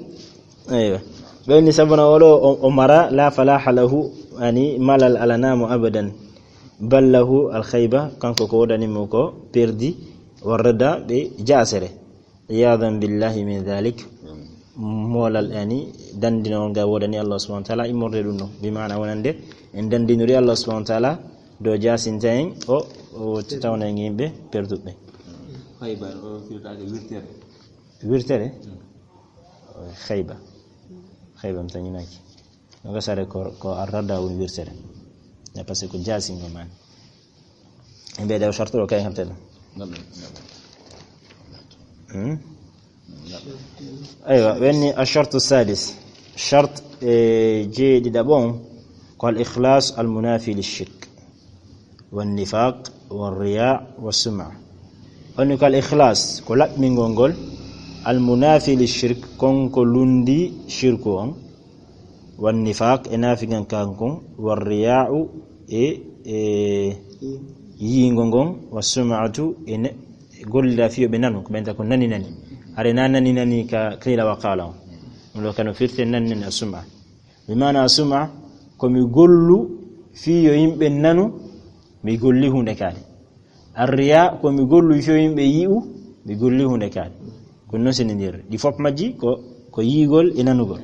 Eywa. Ɓe woni sabuna oɗo o, o mara la falaha lahu, ani malal alanamo abadan. Bal lahu al khayba, kanko ko wodani mo ko perdi, warda ɓe jasere. Iyadan billahi min dhalik. Molal yani dandinol ngal wodani Allah subhanahu wa ta'ala immorde ɗum ɗo. Bi maana wonande en dandinori Allah subhanahu wa ta'ala do jasinta en o, o tawna en yimɓe perduɓe. Khayba o firtaake wirtere. Wirtere? Khayba. Khayba mi tañinaki. No gasare ko, ko arrada woni wirtere. Ya parce que ko jasingo man. Ɓe ɗew sarto ɗo kay ngarten. Hmm? Aywa, wenni ashartu sadis. Shart e jeeɗiɗaɓo on ko al ikhlas al munafi li shirk. Wan nifaq, wan riya, wa sum'a. Woni ko al ikhlas, ko laɓɓingol ngol, al munafi li shirk, kon ko lundi shirku on. Wan nifaq, e nafigan kan kon, war riya'u, e, e yiingo ngon, wa sum'atu, e ne, gollira fiyo ɓe nanu, ko ɓenta ko nani nani. Hare na nani nani ka qila wa qala on. Ɗum ɗo kano firte nani nani a sum'a. Bi maana a sum'a, ko mi gollu fiyo yimɓe nanu, mi golli hunde kadi. Arriya, ko mi gollu fiyo yimɓe yi'u, mi golli hunde kadi. Ko non seni nder. Ɗi fop majji ko, ko yiigol e nanugol.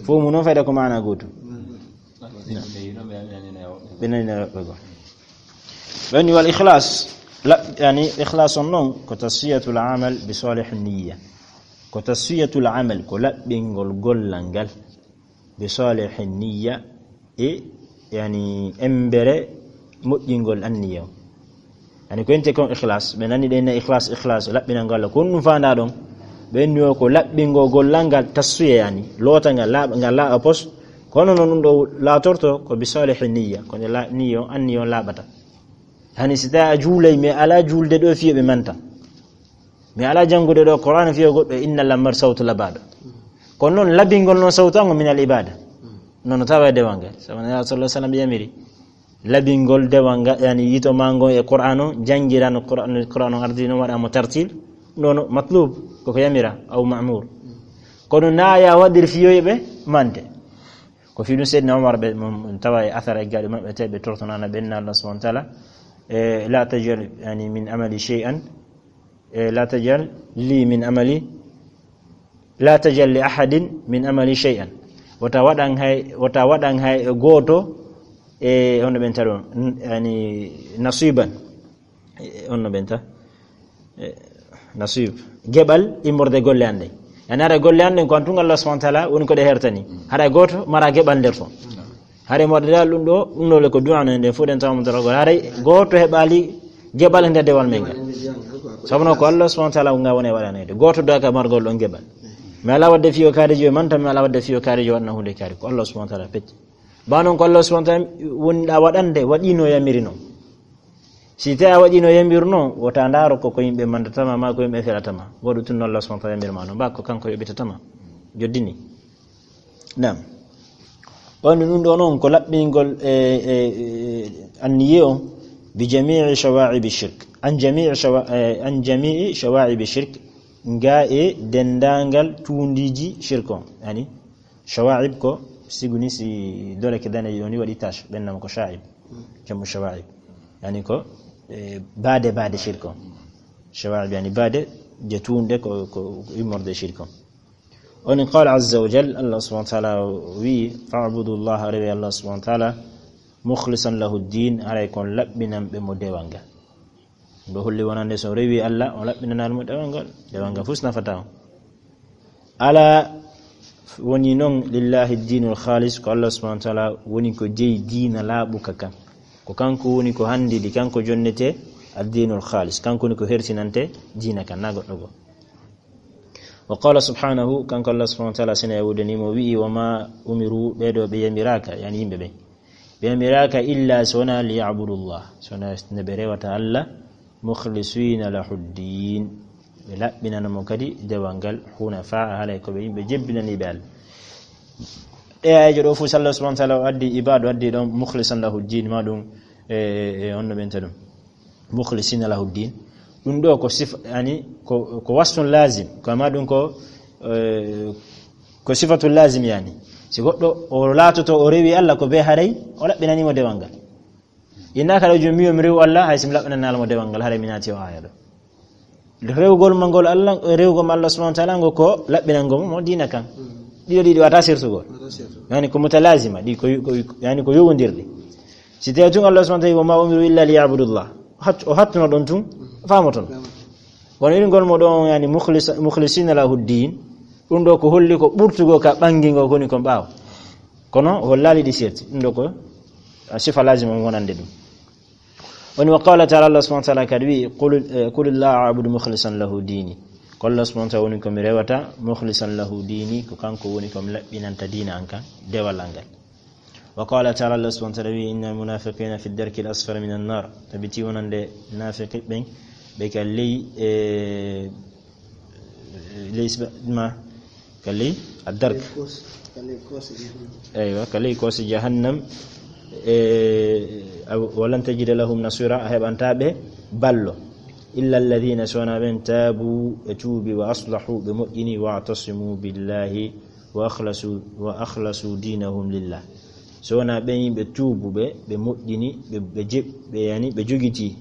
Fof mu noon fayda ko maana gooto. Ɓe nani na woɓɓe goo. Ɓe woni wal ikhlas. La, yani ikhlas on noon ko tasfiyatul amal bi salih niyya. Ko tasfiyatul amal, ko laɓɓingol gollal ngal bi salih niyya, e yani embere moƴƴingol anniya. Yani ko ente kon ikhlas, ɓe nani ɗen na ikhlas, ikhlas, laɓɓinal ngal, ko honɗum faanda ɗon? Ɓe inni o ko laɓɓingol gollal ngal tasfiya yani, loota ngal laaɓa, ngal laaɓa pos. Kono noon ɗum ɗo laatorto ko bi salih niyya, ko nde la-, niyya on, anniya on laaɓata. Hani si tawi a juulay, mi alaa juulde ɗo fiyo ɓe manta. Mi alaa janngude ɗo Qur'aana fiyo goɗɗo, inna lamar sawtu labaaɗo. Kono noon, labingol noon sawtu an o min al ibada. Noon no tawa e dewal ngal. Sabu Nulaaɗo sallallahu alaihi wasallam yamiri. Labingol dewal ngal, yani yito ma ngon e Qur'aana o, janngiran Qur'aana, Qur'aana o ardino waɗa mo tartil. Noon matlub, koko yamira, aw ma'mur. Kono na ya waɗir fiyo ɓe mante. Ko fii ɗum Seydina Umar ɓe, mo, mo tawa e athar e gaɗi maɓɓe, te ɓe tortonana ɓen na Allah subhanahu wa ta'ala, e, "La tajal, yani, min amali shay'an, e, la tajal li min amali, la tajal li ahadin min amali shay'an." Wota waɗan hay, wota waɗan hay gooto, e, hono ɓen taɗo, n-, yani, nasiban. E, on no ɓenta. E, nasib. Geɓal immorde golle an ɗen. Yani haray golle an ɗen ko an tun Allah subhanahu wa ta'ala woni ko ɗe hertani. Haray gooto mara geɓal nder ton. Haray mo waɗa dal ɗum ɗo, ɗum ɗo le ko du'a no nden fof ɗen tawa mo daragol. Haray gooto heɓali geɓal e nder dewal men ngal. Sabu no ko Allah subhanahu wa ta'ala nga woni e waɗanede. Gooto doaka margol ɗon geɓal. Mi alaa waɗde fiyo kaarijo e manta, mi alaa waɗde fiyo kaarijo waɗna hunde kaari. Ko Allah subhanahu wa ta'ala pecce. Ba non ko Allah subhanahu wa ta'ala woni ɗa waɗande, waɗino yamiri non. Si tawi a waɗino yamiri non, wota ndaaro ko, ko yimɓe mandatama, ma ko yimɓe felatama. Waɗu tun no Allah subhanahu wa ta'ala yamiri ma non. Ba ko kanko yoɓitatama. Joddini. Naam. On ɗum ɗo non ko laɓɓingol e, e, e, anniye on bi jami'i shawa'ibi shirk. An jami'i shawa-, e, an jami'i shawa'ibi shirk. Nga e dendangal tuundiiji shirk on. Yani, shawa'ib ko siguni si dole ke dane yoni waɗi tache, ɓen nam ko sha'ib. Jamu shawa'ib. Yani ko, e, baade, baade shirk on. Shawa'ib yani baade je tuunde ko, ko immorde shirk on. Oni qala azza wa jal, Allah subhanahu wa ta'ala wi, "Fa'budu Allah," rewe Allah subhanahu wa ta'ala, "mukhlisan lahu ad-din," haray kon laɓɓinan ɓe mo dewal ngal. Ɓe holli wonande so rewi Allah, o laɓɓinanal mo dewal ngal, dewal ngal fus nafata on. Ala woni non lillahi ad-dinul khalis, ko Allah subhanahu wa ta'ala woni ko jeyi diina laaɓuka kan. Ko kanko woni ko handidi, kanko jonnete ad-dinul khalis, kanko woni ko hersinante diina kan, na goɗɗo goo. Wa qala subhanahu, kanko Allah subhanahu wa ta'ala sina yawude ni mo wi'i, "Wa ma umiru," ɓe ɗo ɓe yamiraaka, yani yimɓe ɓe. Ɓe yamiraaka illa so wona liya'budu Allah, so wona no ɓe rewata Allah, mukhlisina lahu ad-din. Ɓe laɓɓinana mo kadi dewal ngal, hunafa, halay ko ɓe yimɓe jebbinaniiɓe Allah. Ɗe aayeeje ɗo fof, so Allah subhanahu wa ta'ala o addi ibadu, addi ɗon mukhlisan lahu ad-din, ma ɗum, e, e, e, on no ɓenta ɗum. Mukhlisina lahu ad-din. Ɗum ɗo ko sifa, yani, ko, ko wasfun lazim. Ko ma ɗum ko, e, ko sifatul lazim, yani. Si goɗɗo o laatoto, o rewi Allah ko be haray, o laɓɓinani mo dewal ngal. Inna kala jom miyo mi rewu Allah, hay si mi laɓɓinani Allah mo dewal ngal, haray mi naati o aaya ɗo. Rewgol ma ngol Allah, rewgol ma Allah subhanahu wa ta'ala ngo ko laɓɓinango mo, mo diina kan. Ɗiɗo ɗiɗi wata sirtugol. Wata sirtugol. Yani ko mutalazima, ɗi ko, ko, yani ko yowondirɗi. Si tawi tun Allah subhanahu wa ta'ala, "Wa ma umiru illa liya'budu Allah." O hat-, o hattuno ɗon tun, faamoton. Kono irin gol mo ɗon, yani mukhlis-, mukhlisina lahu ad-din. Ɗum ɗo ko holli ko ɓurtugo ka ɓangingo koni kon ɓaawo. Kono o hollali ɗi serti. Ɗum ɗo ko, a, sifa lazima wonande ɗum. Woni wa qala ta'ala, Allah subhanahu wa ta'ala kadi wi, "Qul, eh, qul Allaha a'budu mukhlisan lahu dini." Ko Allah subhanahu wa ta'ala woni ko mi rewata, mukhlisan lahu dini, ko kanko woni ko mi laɓɓinanta diina an kan, dewal an ngal. Wa qala ta'ala, Allah subhanahu wa ta'ala wi, "Innal munafiqina fi darki al-asfali minan nar." Tabiti wonande nafiqi ɓen, ɓe ka ley, eh, ley sba-, ma, ka ley ad-dark. Ka ley kos-, ka ley kos jahannam. Eywa, ka ley kos jahannam. Eh, aw-, "Wa lan tajida lahum nasira," a heɓanta ɓe ballo. "Illa alladhina," so wona ɓen, "tabu," ɓe tuubi, "wa aslahu," ɓe moƴƴini, "wa atasimu billahi," wa akhlasu, wa akhlasu dinahum lillah. So wona ɓen yimɓe tuubuɓe, ɓe moƴƴini, ɓe, ɓe jeb-, ɓe yani, ɓe jogiti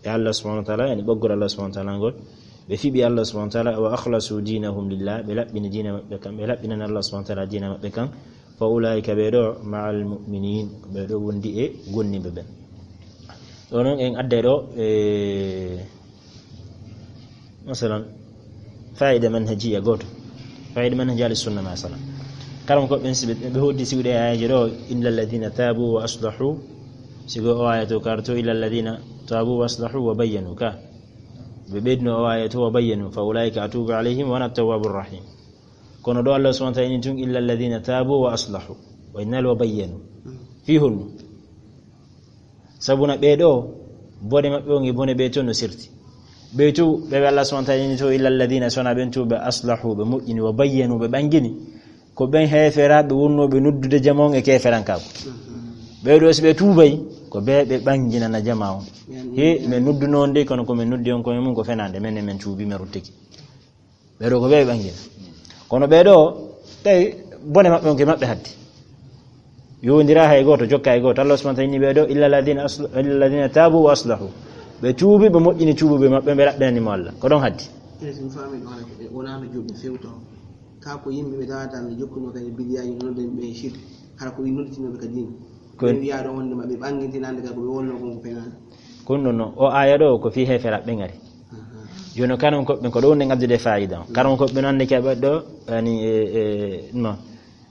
e Allah subhanahu wa ta'ala, yani ɓoggol Allah subhanahu wa ta'ala ngol. Ɓe fiɓi Allah subhanahu wa ta'ala, wa akhlasu dinahum lillah, ɓe laɓɓini diina maɓɓe kan, ɓe laɓɓinani Allah subhanahu wa ta'ala diina maɓɓe kan. Fa ulaika ɓe ɗo ma'al mu'minin, ɓe ɗo wondi e gonniɓe ɓen. Ɗo non en adday ɗo, e, masalan, fa'ida manhajiya goto. Fa'ida manhaji ahli sunna, masalan. Karam ko ɓen siɓe, ɓe hoddi siwɗe ayaji ɗo, "Illa alladhina tabu wa aslahu." Sigo o aya to karto, "Illa alladhina tabu wa aslahu wa bayyanu," ka. Ɓe ɓeydino o aya to, "Wa bayyanu, fa ulaika atubu alayhim wa ana tawwabur rahim." Kono ɗo Allah subhanahu wa ta'ala ini tun, "Illa alladhina tabu wa aslahu." Wa innal wa bayyanu. Fi honno? Sabuna ɓee ɗo, Bone maɓɓe on e bone ɓe to no serti. Ɓe to, ɓe ɓe Allah subhanahu wa ta'ala ni to, "Illa alladhina", sona ɓen to ɓe aslahu, ɓe moƴƴini, wa bayyanu, ɓe ɓangini. Ko ɓen heeferaaɓe wonnooɓe noddude jama on e keeferankaaku. Ɓee ɗoo, si ɓe tuubay, ko ɓe ɓe ɓanginana jama on. He, men nodduno on de, kono ko men noddi on koye mum ko fenaande, men e men tuubi, men ruttiki. Ɓee ɗoo ko ɓe ɓe ɓangina. Kono ɓee ɗoo, tawi bone maɓɓe on ke maɓɓe hatti. Yowondira hay gooto, jokka hay gooto. Allah subhanahu wa ta'ala inni ɓee ɗoo, "Illa alladhina asl-, illa alladhina tabu wa aslahu." Ɓe tuubi, ɓe moƴƴini tuubuɓe maɓɓe, ɓe raɓɓinani mo Allah. Ko ɗon hatti. Eyi, so mi faami ɗon, hara ko ɓe wonaano juulɓe few taw. Kaa ko yimɓe ɓe tawata no jokkuno kadi bidiyaaji, no ɗen ɓe shirk. Hara ko ɓe nodditinooɓe ka diina. Ko ɓe wiyaa ɗo wonde ma ɓe ɓangintinande ka ko ɓe wonno kon ko fenaande. Ko ɗum ɗon no, o aaya ɗo ko fii heeferaaɓe ɓe ngari. Aha. Jooni o karam ko ɓen ko ɗo wonde ngaddude faayiida on. Karam ko ɓe nande ka ɓe ɗo, yani, e, e, no.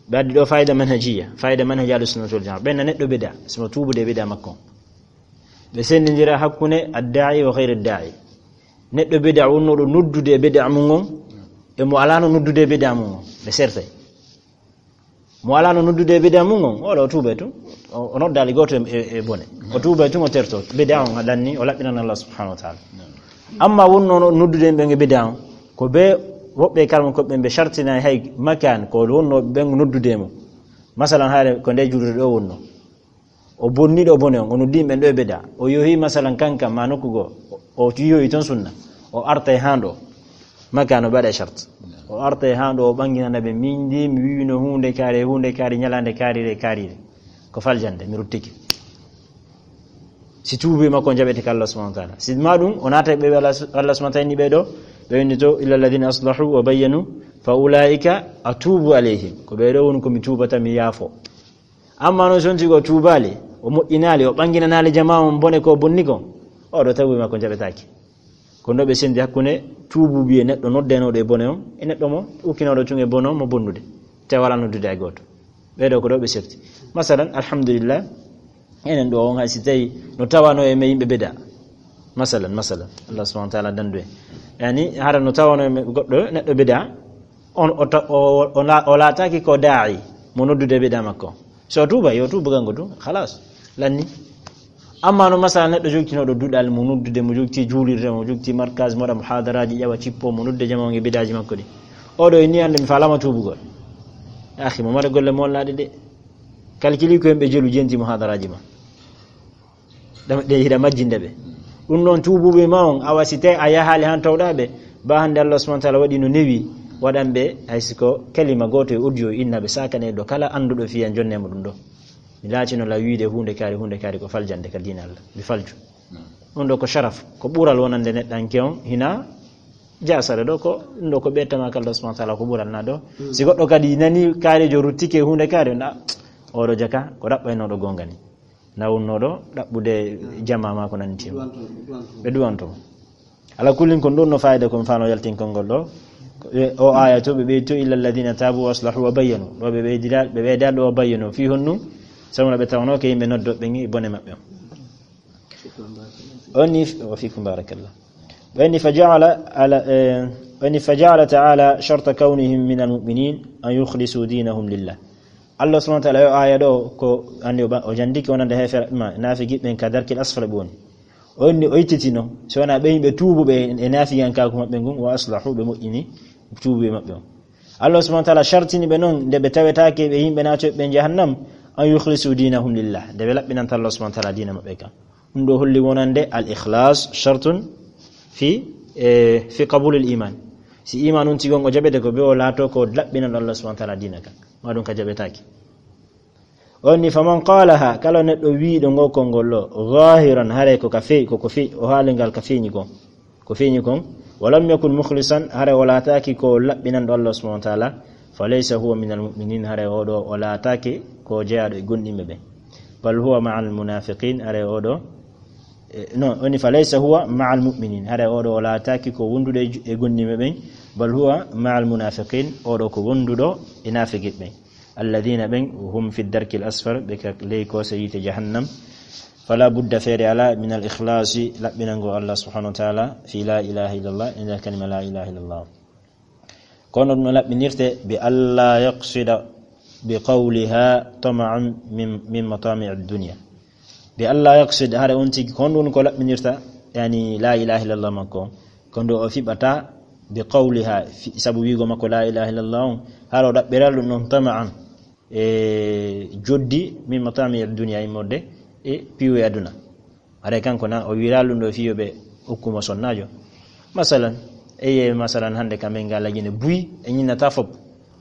Ɓe addi ɗo faayiida manhajiya, faayiida manhaji Ahlus Sunnah wal Jamaa. Ɓen na neɗɗo bida, simo tuubude bida makko. Ɓe sendindira hakkunde adda'i wa ghayri adda'i. Neɗɗo bida wonnooɗo noddude e bida mum on, e mo alaano noddude e bida mum on. Ɓe sertay. Mo alaano noddude e bida mum on, oɗo o tuubay tun. O, o noddaali gooto e, e, e bone. O tuubay tun, o terto. Bida on a danni, o laɓɓinan Allah subhanahu wa ta'ala. Amma wonnooɗo noddude ɓen e bida on, ko ɓe woɓɓe e karam ko ɓen ɓe shartinay hay makan ko wonnoo ɓen noddude mo. Masalan, hayre ko nde juulirde ɗo wonnoo. O bonni ɗo bone on, o noddi ɓen ɗo e bida. O yohi masalan kanka ma nokku goo, o, o yohi ton sunna. O artay haa ɗo. Makka no ɓaɗa shart. O artay haa ɗo, o ɓanginana ɓe, min ndi mi wiwino huunde kaari, huunde kaari, ñalaande kaarire, kaarire. Ko faljande, mi ruttike. Si tuubi makko jaɓete ka Allah subhanahu wa ta'ala. Si ma ɗum, o naata ɓe Allah, Allah subhanahu wa ta'ala ni ɓe ɗo, ɓe winndi to, "Illa alladhina aslahu wa bayyanu, fa ulaika atubu alayhim." Ko ɓe ɗo woni ko mi tuubata, mi yaafo. Amma noon, so on tigi o tuubaali, o moƴƴinaali, o ɓanginanaali jamaa on bone ko bonni kon, oɗo tawi makko jaɓetaake. Ko ɗo ɓe sendi hakkunde tuubuɓe e neɗɗo noddenooɗo e bone on, e neɗɗo mo ukkinooɗo tun e bone on mo bonnude, tawi wala noddude hay gooto. Ɓee ɗo ko ɗo ɓe serti. Masalan, alhamdulillah, enen ɗo on hay si tawi no tawano e men yimɓe bida. Masalan, masalan, Allah subhanahu wa ta'ala dandu en. Yani, hara no tawano e men goɗɗo neɗɗo bida, on o ta-, o, o, o na-, o laataaki ko daa'i mo noddude bida makko. So o tuuba, yo tuubu kanko tun, khalas, lanni. Amma no masala neɗɗo jogtinooɗo duɗal mo noddude, mo jogti juulirde, mo jogti markaz, mo waɗa muhadaraaji, ƴawa cippo, mo noddude jamaa on e bidaaji makko ɗi. Oɗo inni hannde mi faalama tuubugol. Akhi, mo mara golle mo wallaaɗe de. Kalkili ko en ɓe jelu jenti muhadaraaji ma. Ɗam-, ɗe hiɗa majjinde ɓe. Ɗum noon tuubuɓe ma on, awa si tawi a yahaali han tawɗa ɓe, ba hannde Allah subhanahu wa ta'ala waɗi no newi, waɗan ɓe hay si ko kalima gooto e audio inna ɓe sakane ɗo kala annduɗo fiyan jonne mo ɗum ɗo. Mi laatino la wiide huunde kaari, huunde kaari ko faljande ka diina Allah. Mi falju. Ɗum ɗo ko sharaf, ko ɓural wonande neɗɗanke on, hina jasare ɗo ko, ɗum ɗo ko ɓe tama ka Allah subhanahu wa ta'ala ko ɓural na ɗo. Mm. Si goɗɗo kadi nani kaari jo ruttike huunde kaari, na, oɗo jaka, ko ɗaɓɓaynoɗo goonga ni. Na wonnooɗo ɗaɓɓude jamaa ma ko nanndi heen. Ɓe duwanto mo. Ala kullin, kon ɗon no fayda ko mi faano yaltinkol ngol ɗo. E o aaya to, ɓe ɓeydi to, "Illa alladhina tabu wa aslahu wa bayyanu." Ɗo ɓe ɓeydi dal, ɓe ɓeyda ɗo "wa bayyanu." Fii honnu? Sabu no ɓe tawno ko yimɓe noddo ɓe ngi bone maɓɓe on. Oni, wa fikum barakallah. Oni fa ja'ala ala, eh, oni fa ja'ala ta'ala sharta kawnihim min al-mu'minin an yukhlisu dinahum lillah. Allah subhanahu wa ta'ala, yo aaya ɗo, ko anndi o ba-, o janndiki wonande heefere ma, naafigiɓe ɓen ka darkil asfala ɓe woni. O inni, o ittitino, so wonaa ɓe yimɓe tuubuɓe e naafigankaaku maɓɓe ngun, wa aslahu, ɓe moƴƴini tuubuɓe maɓɓe on. Allah subhanahu wa ta'ala shartini ɓe non, nde ɓe tawetaake ɓe yimɓe naatoɓe ɓe jahannam, an yukhlisu dinahum lillah, nde ɓe laɓɓinanta Allah subhanahu wa ta'ala diina maɓɓe kan. Ɗum ɗo holli wonande al ikhlas shartun fi, eh, fi qabulil iman. Si iman on tigon o jaɓete ko ɓe o laato ko laɓɓinanɗo Allah subhanahu wa ta'ala diina kan. Ma ɗum ka jaɓetaake. On ni, "Faman qalaha," kala neɗɗo wiiɗo ngo konngol ɗo, zahiran, haray ko ka fe-, ko, ko fe-, o haali ngal ka feeñi kon. Ko feeñi kon, "wa lam yakun mukhlisan," haray o laataaki ko laɓɓinanɗo Allah subhanahu wa ta'ala, "fa laysa huwa min al-mu'minin," haray oɗo o laataaki ko jeyaaɗo e gonɗinɓe ɓen. "Bal huwa ma'a al-munafiqin," haray oɗo, eh, non, oni, "Fa laysa huwa ma'a al-mu'minin," haray oɗo o laataaki ko wonduɗo e ju-, e gonɗinɓe ɓen, "bal huwa ma'a al-munafiqin," oɗo ko wonduɗo e naafigiɓe ɓen. Alladhina ɓen hum fi darkil asfar, ɓe ka ley koose yiite jahannam. Fala budda, feere ala, min al ikhlasi, laɓɓinango Allah subhanahu wa ta'ala, fi la ilaha illallah, e nder kalima la ilaha illallah. Kono ɗum no laɓɓinirte bi alla yaqsida bi qawliha tama'an min, min matami'i dunya. E Allah yaqsid, hara on tigi ko honɗun ko laɓɓinirta, yani la ilaha illallah makko on. Ko ndo o fiɓata bi qawliha, fi-, sabu wiigo makko la ilaha illallah on, hara o ɗaɓɓiral ɗum ɗon tama'an, e joddi min matami dunya, immorde e piiwe aduna. Haray kanko na o wiiral ɗum ɗo fii yo ɓe okkumo sonnaajo. Masalan, eye masalan hannde ka men nga lagine buy e ñinnata fop.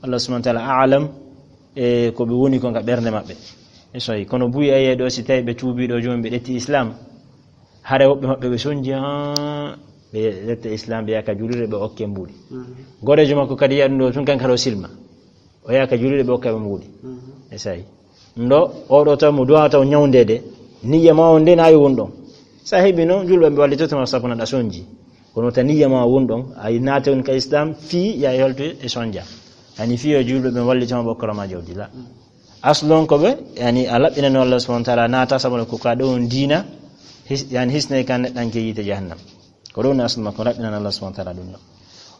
Allah subhanahu wa ta'ala a'lam e ko ɓe woni ko nga ɓernde maɓɓe. E soyi, kono buy eye ɗo si tawi ɓe tuubi ɗo jooni ɓe ƴetti Islam. Hare woɓɓe maɓɓe ɓe sonji, haa ɓe ƴetta Islam ɓe yaka julirde ɓe okke mbuuɗi. Mhm. Goreejo makko kadi yiya ɗum ɗo tun kan kadi o silma. O yaha ka julirde ɓe okka ɓe mbuuɗi. Mhm. E sayi. Ndo, oɗo taw mo duwa taw ñawndede, niyya ma on nde na yo won ɗon. Sa heɓi noon, julɓe ɓe wallitoto ma sabu na ɗa sonji. Kono ta niyya ma won ɗon, a naate on ka Islam, fii ya e holto e sonja. Yani fii yo julɓe ɓe wallito ma ɓe okkora ma jawdi la. Aslu on ko ɓe, yani a laɓɓinani Allah subhanahu wa ta'ala naata sabu ko ka ɗo on diina, his-, yani hisnay ka neɗɗanke yiite jahannam. Ko ɗum woni aslu makko, raɓɓinan Allah subhanahu wa ta'ala ɗum ɗo.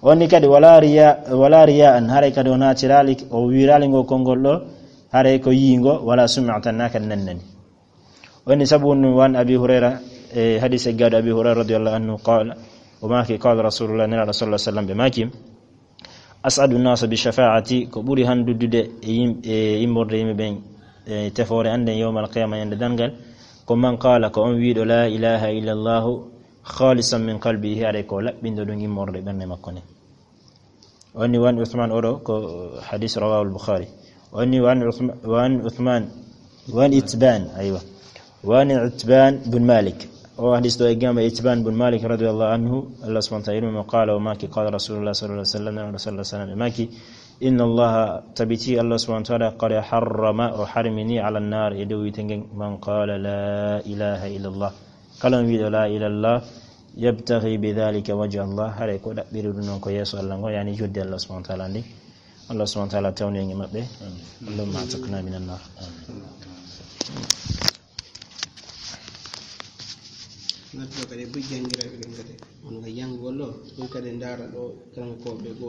On ni kadi wala riya, wala riya an, haray kadi o naatiraali, o wiiraali ngo konngol ɗo, haray ko yiingo, wala sum'atan, na kadi nannani. On ni sabu ɗum wan Abi Hurayra, e hadis e gaado Abi Hurayra radiyallahu anhu qala, o maaki qala Rasulullah, Nelaaɗo sallallahu alaihi wasallam ɓe maaki, as'adu nasa bi shafa'ati, ko ɓuri handuddude e yim-, e immorde yimɓe ɓen, e tefoore an nden yawmal qiyama, ñande darngal, ko man qala, ko on wiiɗo la ilaha illallahu, khalisan min qalbihi, haray ko laɓɓinɗo ɗum immorde ɓernde makko nden. Woni wan Uthman oɗo, ko hadis rawahu al-Bukhari. Woni wan Uthma-, wan Uthman, wan Itban, aywa. Wan Itban bin Malik. O hadis ɗo e gamba Itban bin Malik radiyallahu anhu, Allah subhanahu wa ta'ala mo qala o maaki, qala Rasulullah sallallahu alaihi wasallam, Rasulullah sallallahu alaihi wasallam, maaki, inna Allah, tabiti Allah subhanahu wa ta'ala, qad harrama, o harmini ala nar, e dow yiite ngen, man qala la ilaha illallah. Kala on wiiɗo la ilaha illallah, yabtaghi bi dhalika wajha Allah, haray ko ɗaɓɓiri ɗum noon ko yeeso Allah ngo, yani joddi Allah subhanahu wa ta'ala ndi. Allah subhanahu wa ta'ala tawni en e maɓɓe. Allahumma atiqna minan nar. Noddo kadi buy janngira ɓe ɗum kadi. On nga yanngol ɗo, ɗum kadi ndaara ɗo, kanko ko ɓe go